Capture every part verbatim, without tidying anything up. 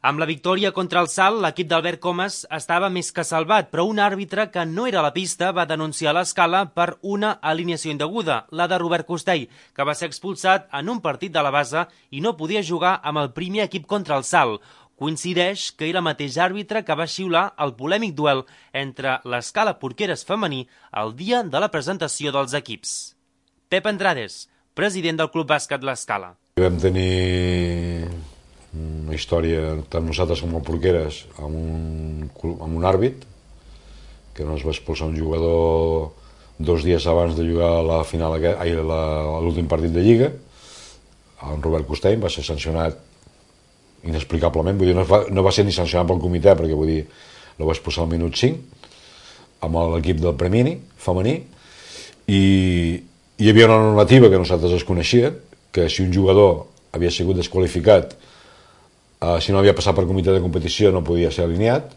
Amb la victòria contra el Salt, l'equip d'Albert Comas estava més que salvat, però un àrbitre que no era a la pista va denunciar l'Escala per una alineació indeguda, la de Robert Costell, que va ser expulsat en un partit de la base i no podia jugar amb el primer equip contra el Salt. Coincideix que era el mateix àrbitre que va xiular el polèmic duel entre l'Escala Porqueres femení el dia de la presentació dels equips. Pep Andrades, president del Club Bàsquet l'Escala. Vam tenir una història, tant nosaltres com el Porqueres, amb un, amb un àrbit, que no es va expulsar un jugador dos dies abans de jugar la final, ai, l'últim partit de Lliga. En Robert Costell va ser sancionat inexplicablement, vull dir, no va, no va ser ni sancionat pel comitè, perquè vull dir, el va expulsar al minut cinc, amb l'equip del Premini, femení, i hi havia una normativa que nosaltres es coneixien, que si un jugador havia sigut desqualificat, Uh, si no havia passat per comitè de competició no podia ser alineat,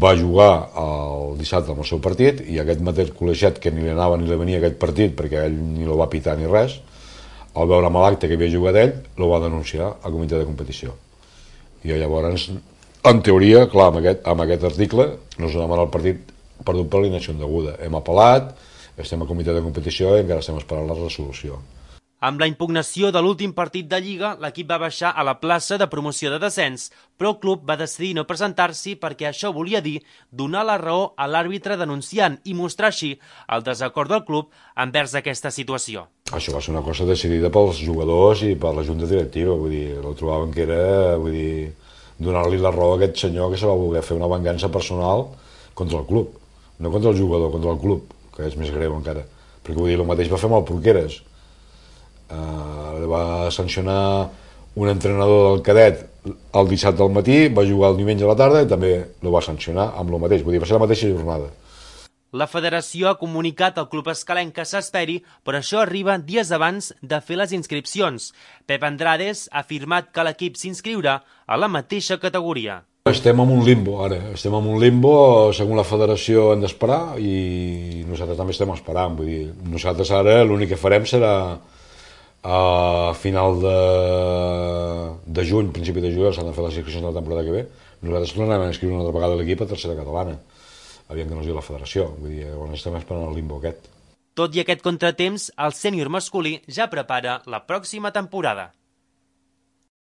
va jugar el dissabte amb el seu partit i aquest mateix col·legiat que ni li anava ni li venia aquest partit perquè ell ni el va pitar ni res, al veure amb l'acte que havia jugat ell, el va denunciar al comitè de competició. I llavors, en teoria, clar, amb aquest, amb aquest article no es demana el partit perdut per alineació indeguda. Hem apel·lat, estem al comitè de competició i encara estem esperant la resolució. Amb la impugnació de l'últim partit de Lliga, l'equip va baixar a la plaça de promoció de descens, però el club va decidir no presentar-s'hi perquè això volia dir donar la raó a l'àrbitre denunciant i mostrar així el desacord del club envers aquesta situació. Això va ser una cosa decidida pels jugadors i per la junta directiva, vull dir, el trobaven que era, vull dir, donar-li la raó a aquest senyor que se va voler fer una vengança personal contra el club, no contra el jugador, contra el club, que és més greu encara, perquè vull dir, el mateix va fer amb el Porqueres. Uh, va sancionar un entrenador del cadet el dissabte al matí, va jugar el diumenge a la tarda i també el va sancionar amb el mateix, vull dir, va ser la mateixa jornada. La federació ha comunicat al club escalenc que s'esperi, però això arriba dies abans de fer les inscripcions. Pep Andrades ha afirmat que l'equip s'inscriurà a la mateixa categoria. Estem en un limbo ara, estem en un limbo, segons la federació hem d'esperar i nosaltres també estem esperant, vull dir, nosaltres ara l'únic que farem serà a final de, de juny, principi de juliol, s'han de fer les inscripcions de la temporada que ve. Nosaltres tornarem a inscriure una altra vegada l'equip a tercera catalana. Aviam que no es diu la federació, vull dir, llavors estem esperant el limbo aquest. Tot i aquest contratemps, el sènior masculí ja prepara la pròxima temporada.